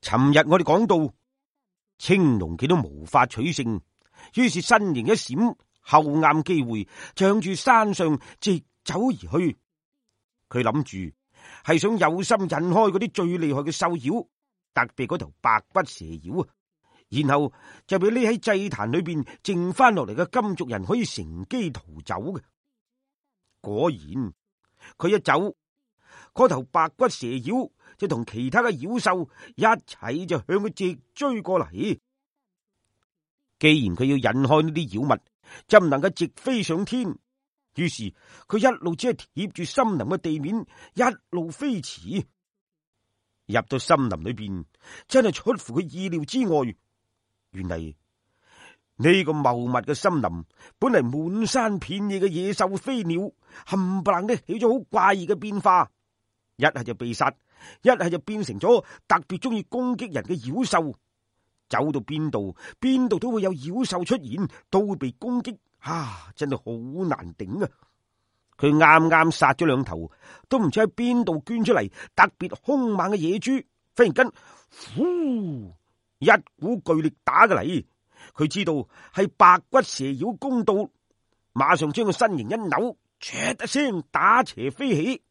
尋日我哋講到青龍見到無法取勝，於是身形一閃，後啱機會就向住山上直走而去。佢諗住係想有心引開嗰啲最厲害嘅獸妖，特別嗰頭白骨蛇妖啊，然後就俾匿喺祭壇裏邊剩翻落嚟嘅金族人可以乘機逃走嘅。果然佢一走，嗰頭白骨蛇妖就同其他嘅妖獸一齊就向佢直追過嚟。既然佢要引開呢啲妖物，就唔能夠直飛上天，於是佢一路只係貼住森林嘅地面，一路飛馳。入到森林裏邊，真係出乎佢意料之外。原嚟呢個茂密嘅森林，本嚟滿山遍野嘅野獸飛鳥，冚唪唥都起咗好怪異嘅變化，一係就被殺，一係就變成咗特別中意攻擊人嘅妖獸。走到邊度都會有妖獸出現，都會被攻擊，真係好難頂啊！佢啱啱殺咗兩頭，都唔知喺邊度捐出嚟特別兇猛嘅野豬，忽然間，呼，一股巨力打過嚟。佢知道係白骨蛇妖攻到，馬上將個身形一扭，唰一聲打斜飛起。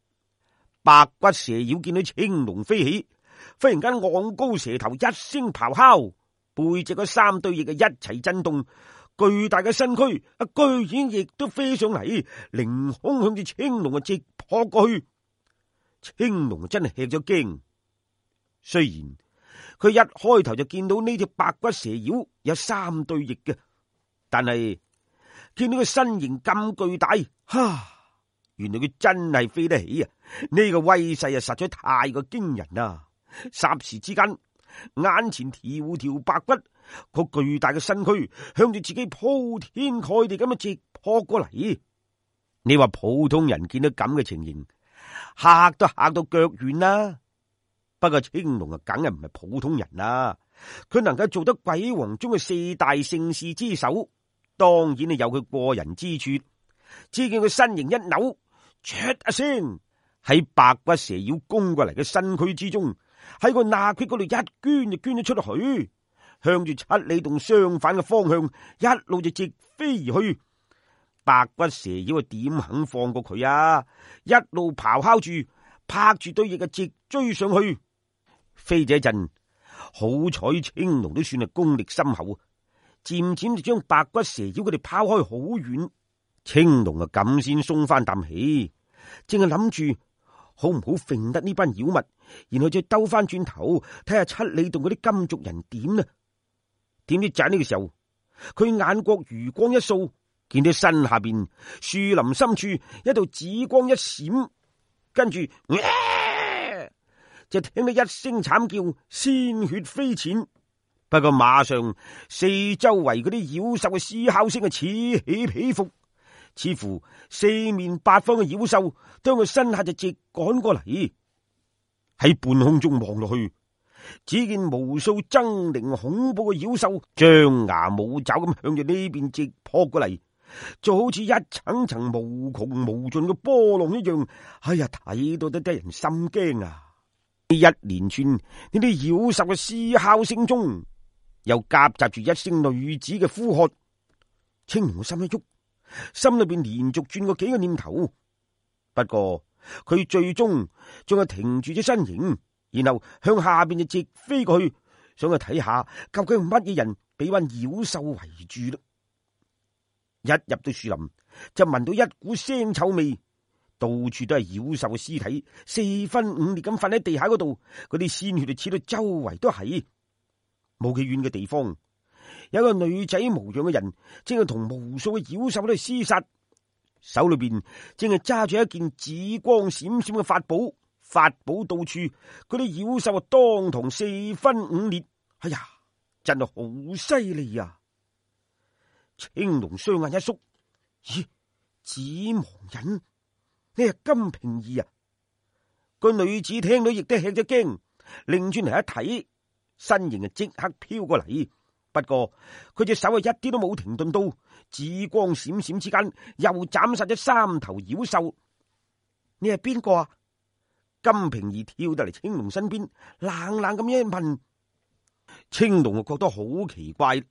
白骨蛇妖見到青龍飛起，忽然間昂高蛇頭，一聲咆哮，背脊嗰三對翼嘅一齊震動，巨大嘅身軀居然亦都飛上嚟，凌空向住青龍直撲過去。青龍真係吃咗驚，雖然佢一開頭就見到呢隻白骨蛇妖有三對翼嘅，但係見到佢身形咁巨大，原來佢真係飛得起啊！呢個威勢實在太過驚人啦！霎時之間，眼前條條白骨，個巨大嘅身軀向住自己鋪天蓋地咁樣直撲過嚟。你話普通人見到咁嘅情形，嚇都嚇到腳軟啦。不過青龍梗係唔係普通人啦，佢能夠做得鬼王中嘅四大聖士之首，當然係有佢過人之處。只見佢身形一扭，唰一聲喺白骨蛇妖攻過嚟嘅身軀之中，喺個罅隙嗰度一捐就捐咗出去，向住七里洞相反嘅方向一路就直飛而去。白骨蛇妖點肯放過佢啊？一路咆哮住，拍住對翼嘅直追上去。飛咗一陣，好彩青龍都算係功力深厚，漸漸就將白骨蛇妖佢哋拋開好遠。青龍咁先鬆翻啖氣，正係諗住好唔好揈得呢班妖物，然後再兜翻轉頭睇下七里洞嗰啲金族人點呢？點知就喺呢個時候，佢眼角餘光一掃，見到身下邊樹林深處一道紫光一閃，跟住就聽到一聲慘叫，鮮血飛濺。不過馬上四周圍嗰啲妖獸嘅嘶哮聲此起彼伏，似乎四面八方嘅妖獸將佢身下就直趕過嚟。喺半空中望落去，只見無數猙獰恐怖嘅妖獸張牙舞爪咁向住呢邊直撲過嚟，就好似一層層無窮無盡嘅波浪一樣。睇到都得人心驚啊！一連串呢啲妖獸嘅嘶哮聲中，又夾雜住一聲女子嘅呼喝。青龍嘅心一喐，心裏邊連續轉過幾個念頭，不過佢最終仲係停住咗身形，然後向下邊就直飛過去，想去睇下究竟係乜嘢人俾班妖獸圍住啦。一入到樹林，就聞到一股腥臭味。到處都係妖獸嘅屍體，四分五裂咁瞓喺地下嗰度，嗰啲鮮血就似到周圍都係。冇幾遠嘅地方，有個女仔模樣嘅人，正係同無數嘅妖獸喺度廝殺，手裏邊正係揸住一件紫光閃閃嘅法寶，法寶到處，嗰啲妖獸當堂四分五裂。真係好犀利啊！青龍雙眼一縮，咦，紫芒人？呢係金瓶兒啊！個女子聽到亦都吃咗驚，擰轉嚟一睇，身形即刻飄過嚟。不過佢隻手一啲都冇停頓到，紫光閃閃之間又斬殺咗3頭妖獸。你係邊個啊？金瓶兒跳到嚟青龍身邊，冷冷咁一問，青龍就覺得好奇怪，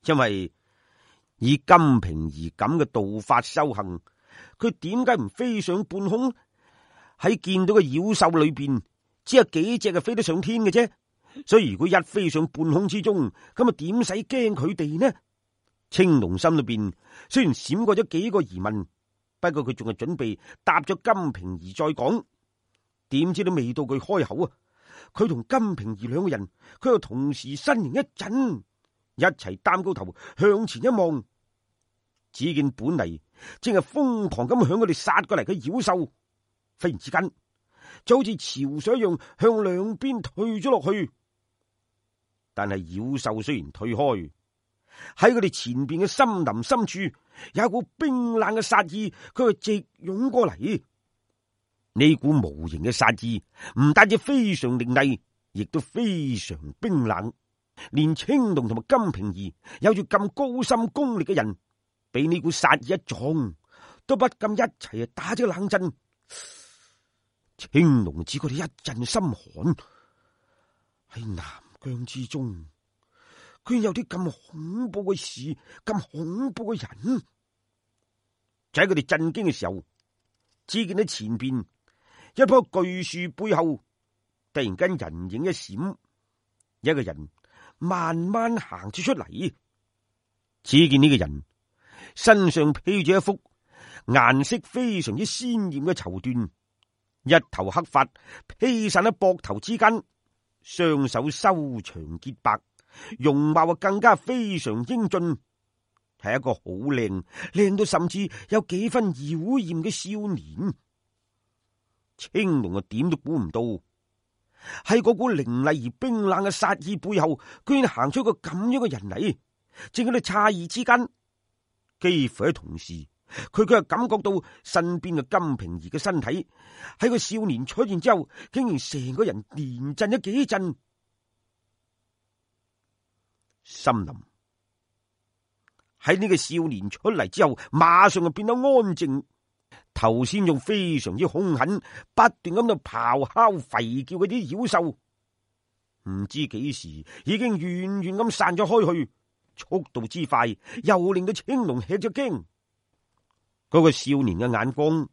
因為以金瓶兒咁嘅道法修行，佢點解唔飛上半空？喺見到嘅妖獸裏邊，只有幾隻係飛得上天嘅啫。所以如果一飛上半空之中，咁啊點使驚佢哋呢？青龍心裏邊雖然閃過咗幾個疑問，不過佢仲係準備答咗金瓶兒再講。點知都未到佢開口啊，佢同金瓶兒兩個人，佢又同時身形一震，一齊擔高頭向前一望，只見本嚟正係瘋狂咁向佢哋殺過嚟嘅妖獸，忽然之間就好似潮水一樣向兩邊退咗落去。但係妖獸雖然退開，喺佢哋前邊嘅森林深處有一股冰冷嘅殺意，佢係直湧過嚟。呢股無形嘅殺意唔單止非常凌厲，亦都非常冰冷。連青龍同埋金瓶兒有住咁高深功力嘅人，俾呢股殺意一撞，都不禁一齊打咗冷震。青龍只覺得一陣心寒，喺南疆之中，居然有啲咁恐怖嘅事，咁恐怖嘅人。就喺佢哋震驚嘅時候，只見喺前邊一棵巨樹背後，突然間人影一閃，一個人慢慢行咗出嚟。只見呢個人身上披住一幅顏色非常之鮮艷嘅綢緞，一頭黑髮披散喺膊頭之間，雙手修長潔白，容貌更加非常英俊，係一個好靚到甚至有幾分妖艷嘅少年。青龍點都估唔到，喺嗰股凌厲而冰冷嘅殺意背後，居然行出一個咁樣嘅人嚟。正喺度詫異之間，幾乎喺同時，佢卻感覺到身邊嘅金瓶兒嘅身體喺個少年出現之後，竟然成個人連震咗幾震。森林喺呢個少年出嚟之後，馬上就變得安靜。頭先仲非常之兇狠，不斷咁度咆哮吠叫嗰啲妖獸，唔知幾時已經遠遠咁散咗開去，速度之快又令到青龍吃咗驚。嗰個少年嘅眼光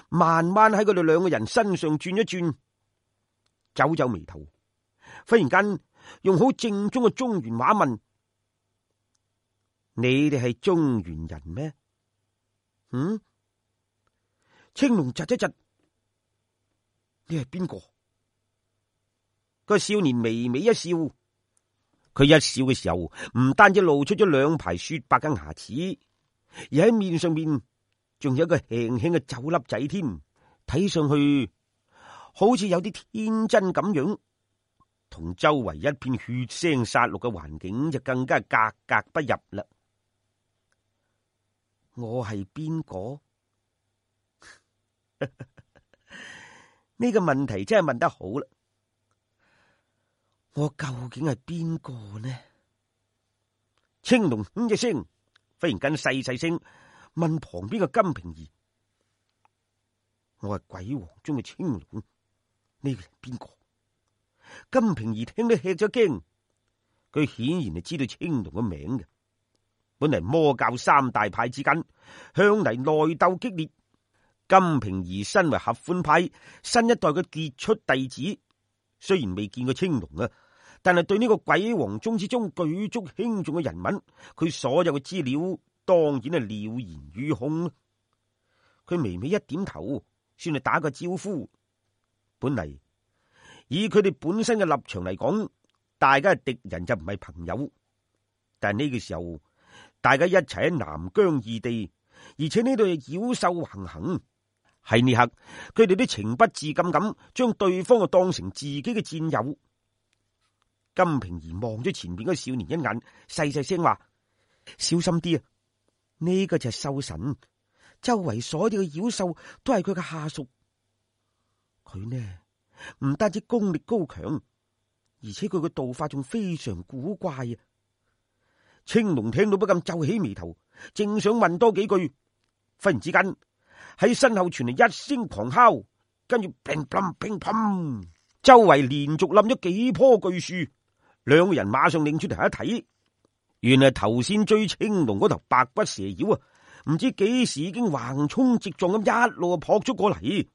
慢慢喺佢哋兩個人身上轉一轉，皺皺眉頭，忽然間用好正宗嘅中原話問：你哋係中原人咩？青龍窒一窒，你係邊個？個少年微微一笑，佢一笑嘅時候，唔單止露出咗兩排雪白嘅牙齒，而喺面上面仲有一個輕輕嘅酒粒仔添，睇上去好似有啲天真咁樣，同周圍一片血腥殺戮嘅環境就更加格格不入啦。我係邊個？呢個問題真係問得好啦！我究竟係邊個呢？青龍一聲，忽然間細細聲問旁邊嘅金瓶兒：我係鬼王中嘅青龍，呢個係邊個？金瓶兒聽得吃咗驚，佢顯然係知道青龍嘅名嘅。本嚟魔教三大派之間向嚟內鬥激烈。金瓶兒身為合歡派新一代嘅傑出弟子，雖然未見過青龍啊，但係對呢個鬼王宗之中舉足輕重嘅人物，佢所有嘅資料當然係了然於胸。佢微微一點頭，算係打個招呼。本嚟以佢哋本身嘅立場嚟講，大家係敵人就唔係朋友。但係呢個時候，大家一齊喺南疆異地，而且呢度係妖獸橫行。喺呢刻，佢哋都情不自禁咁將對方啊當成自己嘅戰友。金瓶兒望咗前邊嗰個少年一眼，細細聲話：小心啲啊！呢個就係獸神，周圍所有嘅妖獸都係佢嘅下屬。佢呢唔單止功力高強，而且佢嘅道法仲非常古怪啊！青龍聽到不禁皺起眉頭，正想問多幾句，忽然之間喺身後傳嚟一聲狂哮，跟住乒乓乒乓，周圍連續冧咗幾棵巨樹，兩個人馬上擰出頭一睇，原來頭先追青龍嗰頭白骨蛇妖啊，唔知幾時已經橫衝直撞咁一路撲咗過嚟。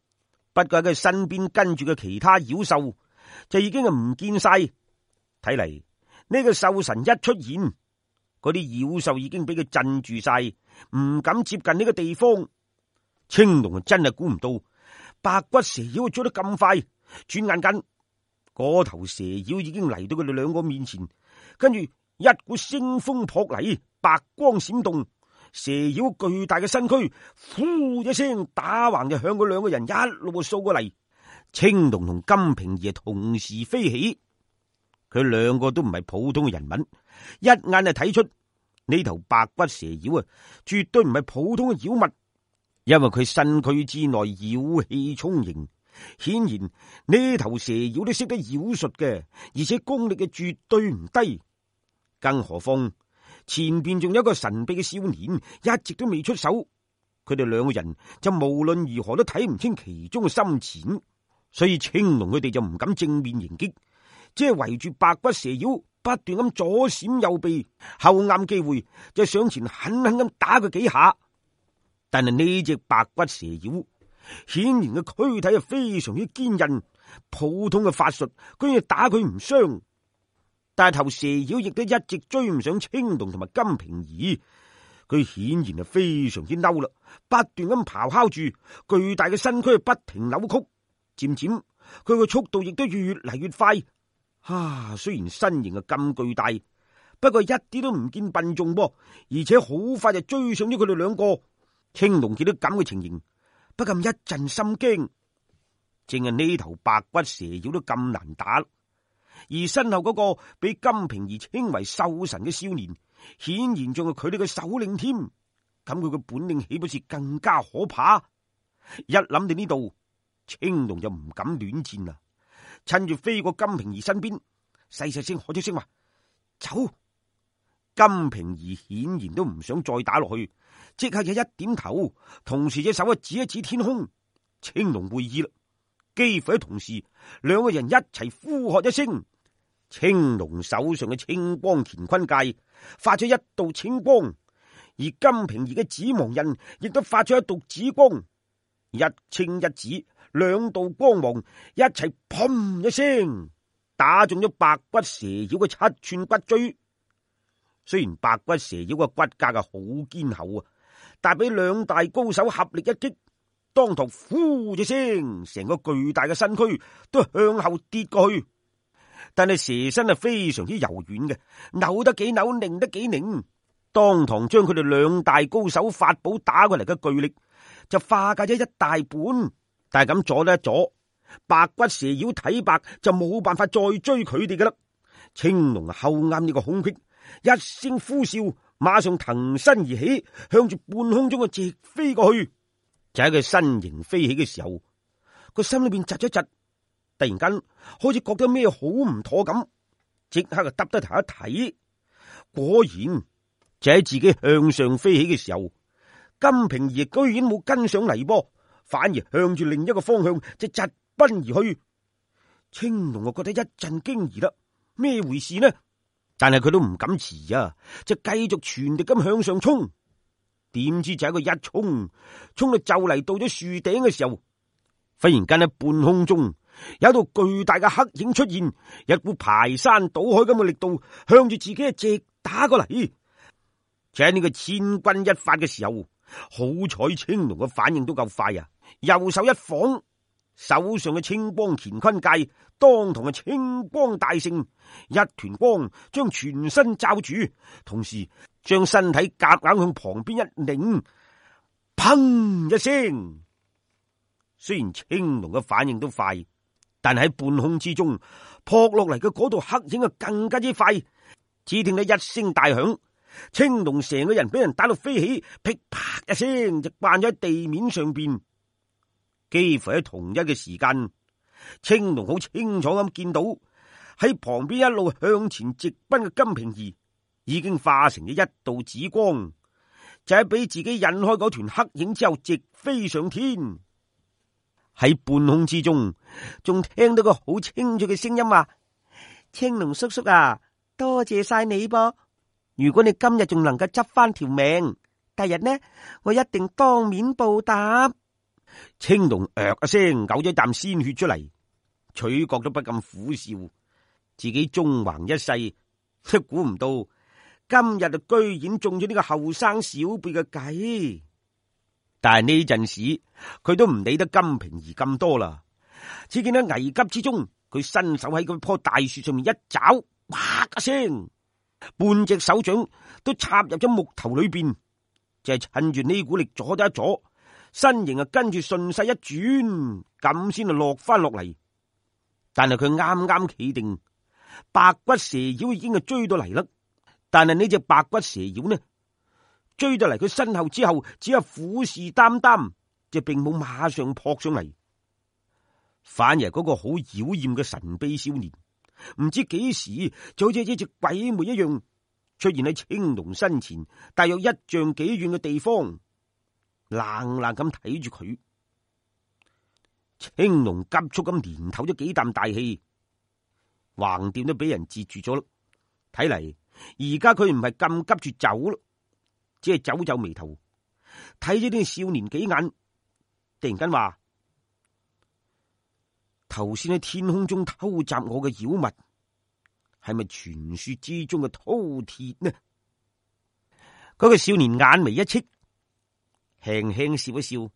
不過喺佢身邊跟住嘅其他妖獸就已經係唔見晒。睇嚟呢個獸神一出現，嗰啲妖獸已經俾佢鎮住晒，唔敢接近呢個地方。青龍真係估唔到白骨蛇妖追得咁快，轉眼間嗰頭蛇妖已經嚟到佢哋兩個面前，跟住一股腥風撲嚟，白光閃動，蛇妖巨大嘅身軀呼一聲打橫就向佢兩個人一路掃過嚟。青龍同金瓶兒同時飛起，佢兩個都唔係普通嘅人物，一眼就睇出呢頭白骨蛇妖啊，絕對唔係普通嘅妖物，因為佢身軀之內妖氣充盈。顯然呢頭蛇妖都識得妖術嘅，而且功力嘅絕對唔低。更何況前邊仲有一個神秘嘅少年一直都未出手，佢哋兩個人就無論如何都睇唔清其中嘅深淺，所以青龍佢哋就唔敢正面迎擊，即係圍住白骨蛇妖不斷咁左閃右避，後啱機會就上前狠狠咁打佢幾下。但係呢隻白骨蛇妖顯然嘅軀體係非常之堅韌，普通嘅法術居然打佢唔傷。但係頭蛇妖亦都一直追唔上青龍同埋金瓶兒，佢顯然係非常之嬲啦，不斷咁咆哮住，巨大嘅身軀不停扭曲，漸漸佢個速度亦都越嚟越快。雖然身形係咁巨大，不過一啲都唔見笨重噃，而且好快就追上咗佢哋兩個。青龍見到咁嘅情形，不禁一陣心驚。正係呢頭白骨蛇妖都咁難打，而身後嗰個俾金瓶兒稱為獸神嘅少年，顯然仲係佢哋嘅首領添。咁佢嘅本領豈不是更加可怕？一諗到呢度，青龍就唔敢亂戰啦。趁住飛過金瓶兒身邊，細細聲喝咗聲話：走！金瓶兒顯然都唔想再打落去，即刻就一點頭，同時隻手指一指天空。青龍會意啦，幾乎喺同時，兩個人一齊呼喝一聲。青龍手上嘅青光乾坤戒發咗一道青光，而金瓶兒嘅紫芒刃亦都發咗一道紫光，一青一紫，兩道光芒一齊砰一聲打中咗白骨蛇妖嘅7寸骨椎。雖然白骨蛇妖嘅骨架係好堅厚啊，但俾兩大高手合力一擊，當堂呼一聲，成個巨大嘅身軀都向後跌過去。但係蛇身係非常之柔軟嘅，扭得幾扭，擰得幾擰，當堂將佢哋兩大高手法寶打過嚟嘅巨力就化解咗一大半。但係咁阻得一阻，白骨蛇妖睇白就冇辦法再追佢哋噶啦。青龍後啱呢個空隙，一聲呼嘯，馬上騰身而起，向住半空中嘅直飛過去。就喺佢身形飛起嘅時候，個心裏邊窒一窒，突然間好似覺得咩好唔妥咁，即刻就耷低頭一睇，果然就喺自己向上飛起嘅時候，金瓶兒居然冇跟上嚟噃，反而向住另一個方向就疾奔而去。青龍就覺得一陣驚疑啦，咩回事呢？但係佢都唔敢遲啊，就繼續全力咁向上衝。點知就喺佢一衝到就嚟到咗樹頂嘅時候，忽然間喺半空中有一道巨大嘅黑影出現，一股排山倒海咁嘅力度向住自己直打過嚟。就喺呢個千鈞一髮嘅時候，好彩青龍嘅反應都夠快啊！右手一晃，手上嘅青光乾坤戒當堂嘅青光大盛，一團光將全身罩住，同時將身體夾硬向旁邊一擰，砰一聲。雖然青龍嘅反應都快，但係喺半空之中撲落嚟嘅嗰度黑影啊更加之快。只聽到一聲大響，青龍成個人俾人打到飛起，噼啪一聲就掛咗喺地面上邊。幾乎喺同一嘅時間，青龍好清楚咁見到喺旁邊一路向前直奔嘅金瓶兒已經化成咗一道紫光，就喺俾自己引開嗰團黑影之後直飛上天。喺半空之中仲聽到個好清楚嘅聲音話：青龍叔叔啊，多謝晒你噃！如果你今日仲能夠執翻條命，第日呢，我一定當面報答。青龍一聲嘔咗啖鮮血出嚟，取角都不禁苦笑，自己縱橫一世，都估唔到今日就居然中咗呢個後生小輩嘅計。但係呢陣時，佢都唔理得金瓶兒咁多啦。只見喺危急之中，佢伸手喺嗰棵大樹上面一爪，啪一聲，半隻手掌都插入咗木頭裏邊，就係趁住呢股力阻咗一阻，身形啊跟住順勢一轉，咁先就落翻落嚟。但係佢啱啱企定，白骨蛇妖已經係追到嚟啦。但係呢隻白骨蛇妖呢，追到嚟佢身後之後，只係虎視眈眈，就並冇馬上撲上嚟。反而嗰個好妖艷嘅神秘少年，唔知幾時就好似一隻鬼魅一樣，出現喺青龍身前，大約1丈幾遠嘅地方，冷冷咁睇住佢。青龍急速咁連唞咗幾啖大氣，橫掂都俾人截住咗啦。睇嚟而家佢唔係咁急住走咯，只係皺皺眉頭，睇咗呢個少年幾眼，突然間話：頭先喺天空中偷襲我嘅妖物，係咪傳說之中嘅饕餮呢？嗰個少年眼眉一戚，輕輕笑一笑。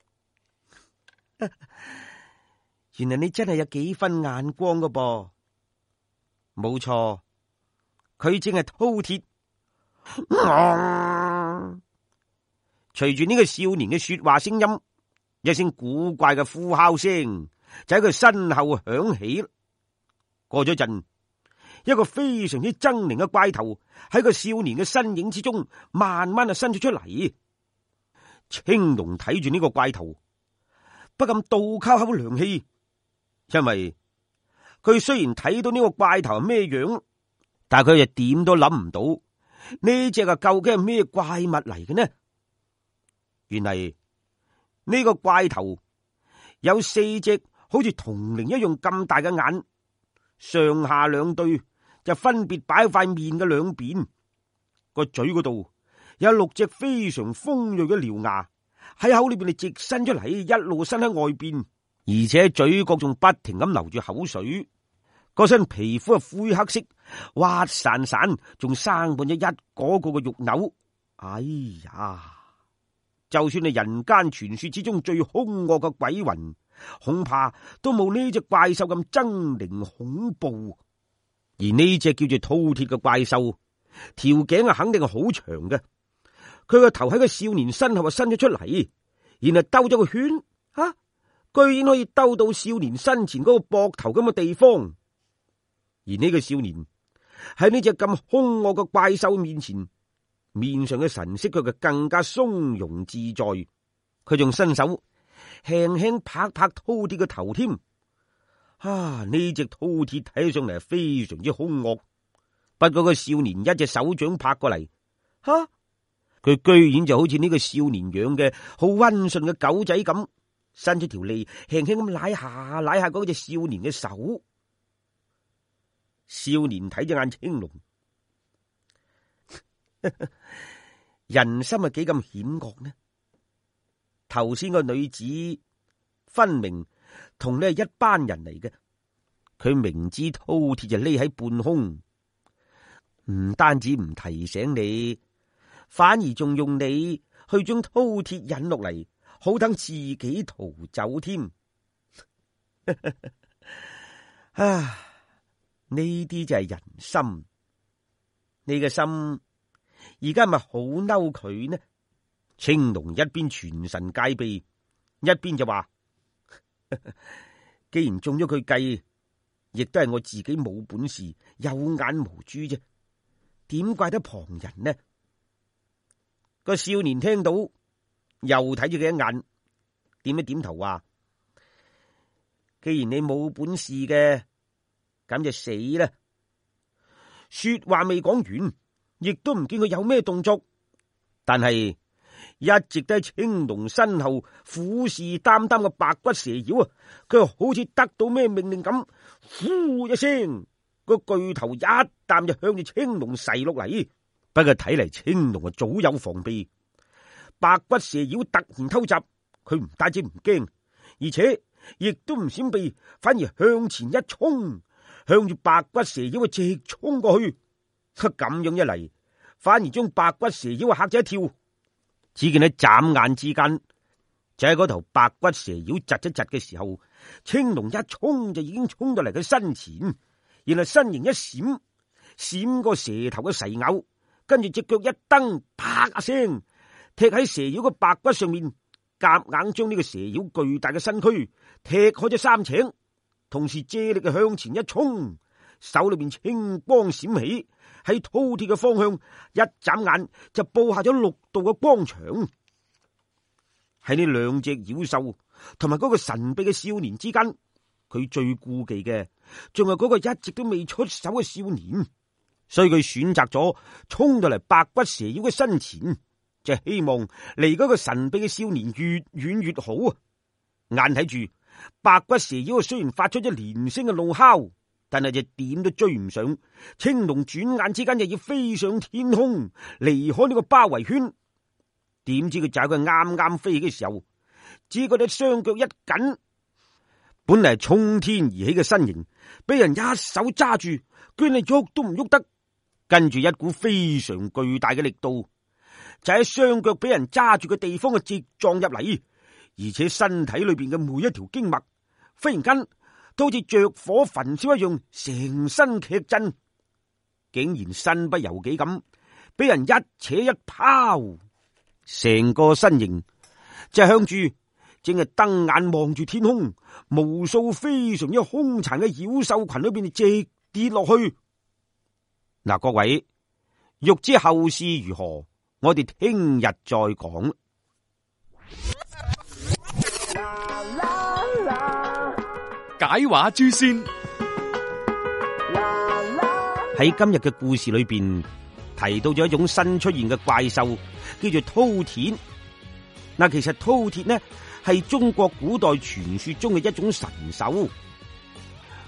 原來你真係有幾分眼光㗎噃。冇錯，佢正係饕餮。隨住呢個少年嘅說話聲音，一聲古怪嘅呼哮聲就喺佢身後響起。過咗陣，一個非常之猙獰嘅怪頭喺個少年嘅身影之中，慢慢就伸咗出嚟。青龍睇住呢個怪頭，不禁倒吸口涼氣，因為佢雖然睇到呢個怪頭係咩樣，但係佢又點都諗唔到呢隻究竟係咩怪物嚟嘅呢？原嚟呢個怪頭有4隻好似銅鈴一樣咁大嘅眼，上下兩對就分別擺喺塊面嘅兩邊，個嘴嗰度有6隻非常鋒銳嘅獠牙喺口裏邊，直伸出嚟，一路伸喺外邊，而且嘴角仲不停咁流住口水。嗰身皮膚係灰黑色，滑潺潺，仲生滿咗一個個嘅肉瘤。哎呀！就算係人間傳說之中最兇惡嘅鬼魂，恐怕都冇呢隻怪獸咁猙獰恐怖。而呢隻叫做饕餮嘅怪獸，條頸肯定係好長嘅。佢個頭喺個少年身後伸咗出嚟，然後兜咗個圈，居然可以兜到少年身前嗰個膊頭咁嘅地方。而呢個少年喺呢隻咁兇惡嘅怪獸面前，面上嘅神色佢就更加鬆容自在。佢仲伸手輕輕拍拍饕餮嘅頭添。呢隻饕餮睇上嚟係非常之兇惡。不過個少年一隻手掌拍過嚟，佢居然就好似呢個少年養嘅好溫順嘅狗仔咁，伸出條脷輕輕咁舐下嗰隻少年嘅手。少年睇隻眼青龍，人心係幾咁險惡呢？頭先個女子分明同你係一班人嚟嘅，佢明知饕餮就匿喺半空，唔單止唔提醒你，反而仲用你去將饕餮引落嚟，好等自己逃走添。呢啲就係人心。你嘅心而家咪好嬲佢呢？青龍一邊全神戒備，一邊就話：既然中咗佢計，亦都係我自己冇本事，有眼無珠啫，點怪得旁人呢？個少年聽到又睇住佢一眼，點一點頭話：既然你冇本事嘅，咁就死啦！說話未講完，亦都唔見佢有咩動作，但係一直都喺青龍身後虎視眈眈嘅白骨蛇妖啊，佢好似得到咩命令咁，呼一聲個巨頭一啖就向住青龍噬落嚟。不過睇嚟青龍早有防備，白骨蛇妖突然偷襲，佢唔單止唔驚，而且亦都唔閃避，反而向前一衝，向住白骨蛇妖直衝過去。咁樣一嚟，反而將白骨蛇妖嚇咗一跳。只見喺眨眼之間，就喺嗰頭白骨蛇妖窒一窒嘅時候，青龍一衝就已經衝到嚟佢身前，然後身形一閃，閃過蛇頭嘅噬咬，跟住隻腳一蹬，啪一聲踢喺蛇妖嘅白骨上面，夾硬將呢個蛇妖巨大嘅身軀踢開咗3尺，同時借力向前一衝，手裏邊青光閃起，喺饕餮嘅方向一眨眼就布下咗6道嘅光牆。喺呢2隻妖獸同埋嗰個神秘嘅少年之間，佢最顧忌嘅仲係嗰個一直都未出手嘅少年，所以佢選擇咗衝到嚟白骨蛇妖嘅身前，就希望離嗰個神秘嘅少年越遠越好啊！眼睇住白骨蛇妖雖然發出咗連聲嘅怒哮，但係就點都追唔上。青龍轉眼之間就要飛上天空，離開呢個包圍圈。點知佢就喺佢啱啱飛起嘅時候，只覺得雙腳一緊，本嚟衝天而起嘅身形俾人一手揸住，居然喐都唔喐得。跟住一股非常巨大嘅力度，就喺雙腳俾人揸住嘅地方嘅直撞入嚟，而且身體裏邊嘅每一條經脈忽然間都好似着火焚燒一樣，成身劇震，竟然身不由己咁俾人一扯一拋，成個身形就向住正係瞪眼望住天空，無數非常之兇殘嘅妖獸群裏邊直跌落去。嗱，各位欲知後事如何，我哋聽日再講。解話諸仙喺今日嘅故事裏邊提到咗一種新出現嘅怪獸，叫做饕餮。嗱，其實饕餮呢係中國古代傳說中嘅一種神獸，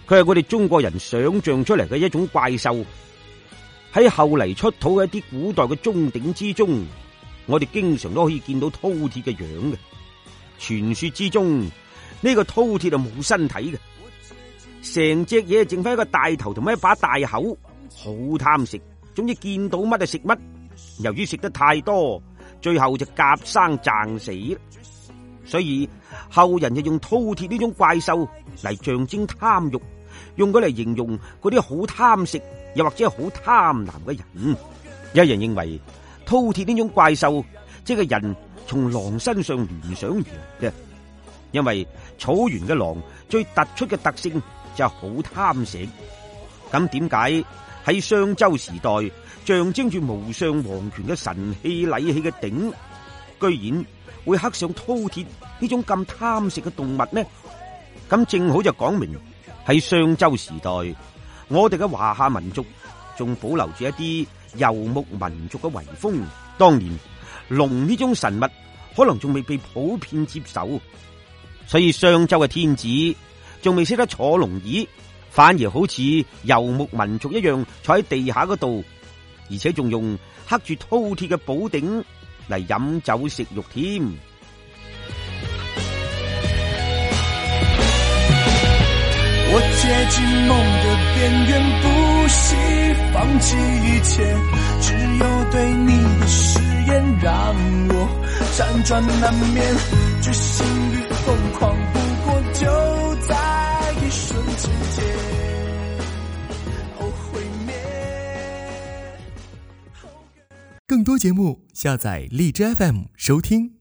佢係我哋中國人想象出嚟嘅一種怪獸。喺後嚟出土嘅一啲古代嘅鐘鼎之中，我哋經常都可以見到饕餮嘅樣嘅。傳說之中，呢個饕餮係冇身體嘅，成隻嘢淨翻一個大頭同埋一把大口，好貪食，總之見到乜就食乜。由於食得太多，最後就夾生掙死。所以後人就用饕餮呢種怪獸嚟象徵貪欲，用佢嚟形容嗰啲好貪食又或者好貪婪嘅人。有人認為饕餮呢種怪獸即係人從狼身上聯想而嚟嘅，因為草原嘅狼最突出嘅特性就係好貪食。咁點解喺商周時代象徵住無上皇權嘅神器禮器嘅鼎，居然會刻上饕餮呢種咁貪食嘅動物呢？咁正好就講明喺商周時代，我哋嘅華夏民族仲保留住一啲游牧民族嘅遺風。當年龍呢種神物可能仲未被普遍接受，所以商周嘅天子仲未識得坐龍椅，反而好似游牧民族一樣坐喺地下嗰度，而且仲用刻住饕餮嘅寶鼎嚟飲酒食肉添。我接近夢的邊緣，不惜放棄一切，只有對你的誓言讓我輾轉難眠，決心與瘋狂不過就在一瞬之間，毀滅。更多節目下載荔枝 FM 收聽。